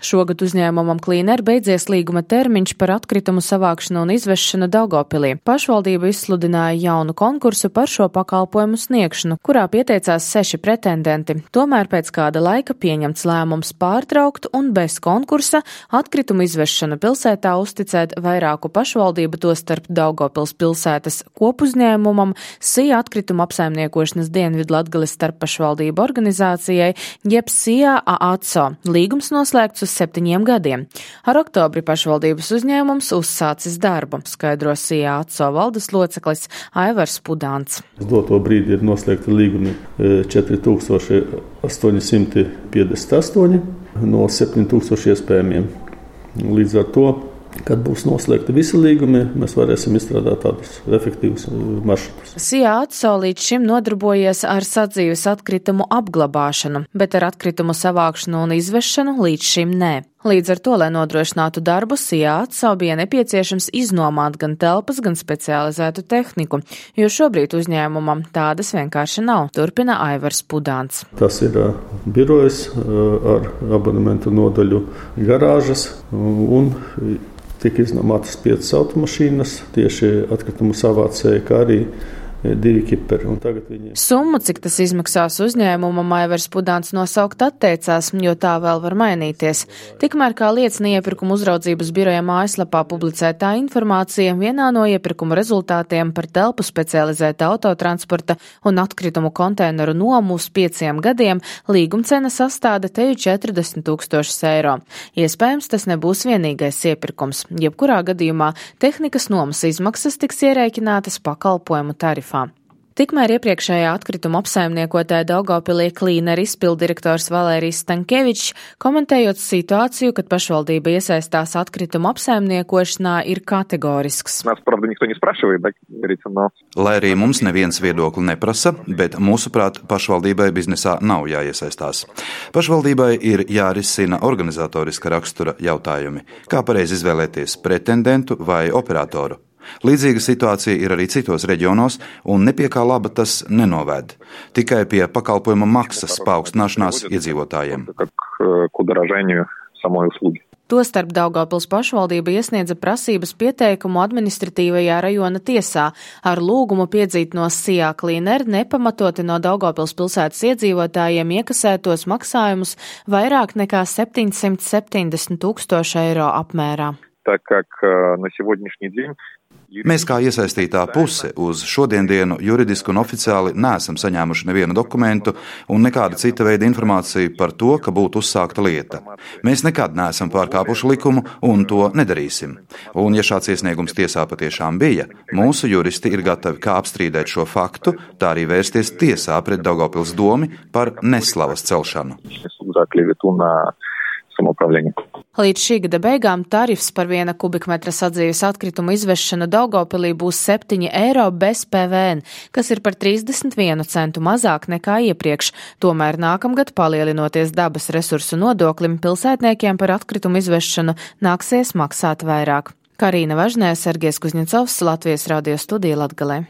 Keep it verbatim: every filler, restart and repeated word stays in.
Šogad uzņēmumam Cleaner beidzies līguma termiņš par atkritumu savākšanu un izvešanu Daugavpilī. Pašvaldība izsludināja jaunu konkursu par šo pakalpojumu sniegšanu, kurā pieteicās seši pretendenti. Tomēr pēc kāda laika pieņemts lēmums pārtraukt un bez konkursa atkritumu izvešanu pilsētā uzticēt vairāku pašvaldību, tostarp Daugavpils pilsētas kopuzņēmumam, Sija atkrituma apsaimniekošanas Dienvidlatgales starppašvaldību organizācijai, jeb Sija AACO. Līgums noslēgts uz septiņiem gadiem. Ar oktobri pašvaldības uzņēmums uzsācis darbu, skaidro Sija AACO valdes loceklis Aivars Pudāns. Uz doto brīdi ir noslēgta līgumi četri tūkstoši astoņi simti piecdesmit astoņi no septiņi tūkstoši iespējamiem. Līdz ar to, kad būs noslēgti visi līgumi, mēs varēsim izstrādāt tādus efektīvus maršrutus. Sija AACO līdz šim nodarbojies ar sadzīves atkritumu apglabāšanu, bet ar atkritumu savākšanu un izvešanu līdz šim nē. Līdz ar to, lai nodrošinātu darbu, Sija AACO bija nepieciešams iznomāt gan telpas, gan specializētu tehniku, jo šobrīd uzņēmumam tādas vienkārši nav, turpina Aivars Pudāns. Tas ir birojas ar abonementu nodaļu garāžas un tika iznomātas piecas automašīnas, tieši atkritumu savācēji, kā arī divi kiperi. Viņi... Summu, cik tas izmaksās uzņēmumam, Aivars Pudāns nosaukt atteicās, jo tā vēl var mainīties. Tikmēr, kā liecina iepirkuma uzraudzības biroja mājaslapā publicētā informācija, vienā no iepirkuma rezultātiem par telpu specializēta autotransporta un atkritumu konteineru nomu uz pieciem gadiem līgumcena sastāda teju četrdesmit tūkstošus eiro. Iespējams, tas nebūs vienīgais iepirkums. Jebkurā gadījumā tehnikas nomas izmaksas tiks ierēķinātas pakalpojumu tarifā. Tikmēr iepriekšējā atkrituma apsaimniekotāja Daugavpilī Cleaner izpildirektors Valērijs Stankevičs, komentējot situāciju, kad pašvaldība iesaistās atkrituma apsaimniekošanā, ir kategorisks. Lai arī mums neviens viedokli neprasa, bet mūsuprāt pašvaldībai biznesā nav jāiesaistās. Pašvaldībai ir jārisina organizatoriska rakstura jautājumi, kā pareizi izvēlēties pretendentu vai operatoru. Līdzīga situācija ir arī citos reģionos, un nepie kā laba tas nenovēd. Tikai pie pakalpojuma maksas paaugstināšanās iedzīvotājiem. Tostarp Daugavpils pašvaldība iesniedza prasības pieteikumu administratīvajā rajona tiesā ar lūgumu piedzīt no Sija Cleaner nepamatoti no Daugavpils pilsētas iedzīvotājiem iekasētos maksājumus vairāk nekā septiņsimt septiņdesmit tūkstoši eiro apmērā. Mēs kā iesaistītā puse uz šodiendienu juridiski un oficiāli neesam saņēmuši nevienu dokumentu un nekāda cita veida informāciju par to, ka būtu uzsākta lieta. Mēs nekad neesam pārkāpuši likumu un to nedarīsim. Un ja šāds iesniegums tiesā patiešām bija, mūsu juristi ir gatavi kā apstrīdēt šo faktu, tā arī vērsties tiesā pret Daugavpils domi par neslavas celšanu. Līdz šī gada beigām tarifs par viena kubikmetra sadzīves atkritumu izvešanu Daugavpilī būs septiņi eiro bez P V N, kas ir par trīsdesmit vienu centu mazāk nekā iepriekš. Tomēr nākamgad, palielinoties dabas resursu nodoklim, pilsētniekiem par atkritumu izvešanu nāksies maksāt vairāk. Karīna Važnē, Sergejs Kuzņecovs, Latvijas radio studija Latgalē.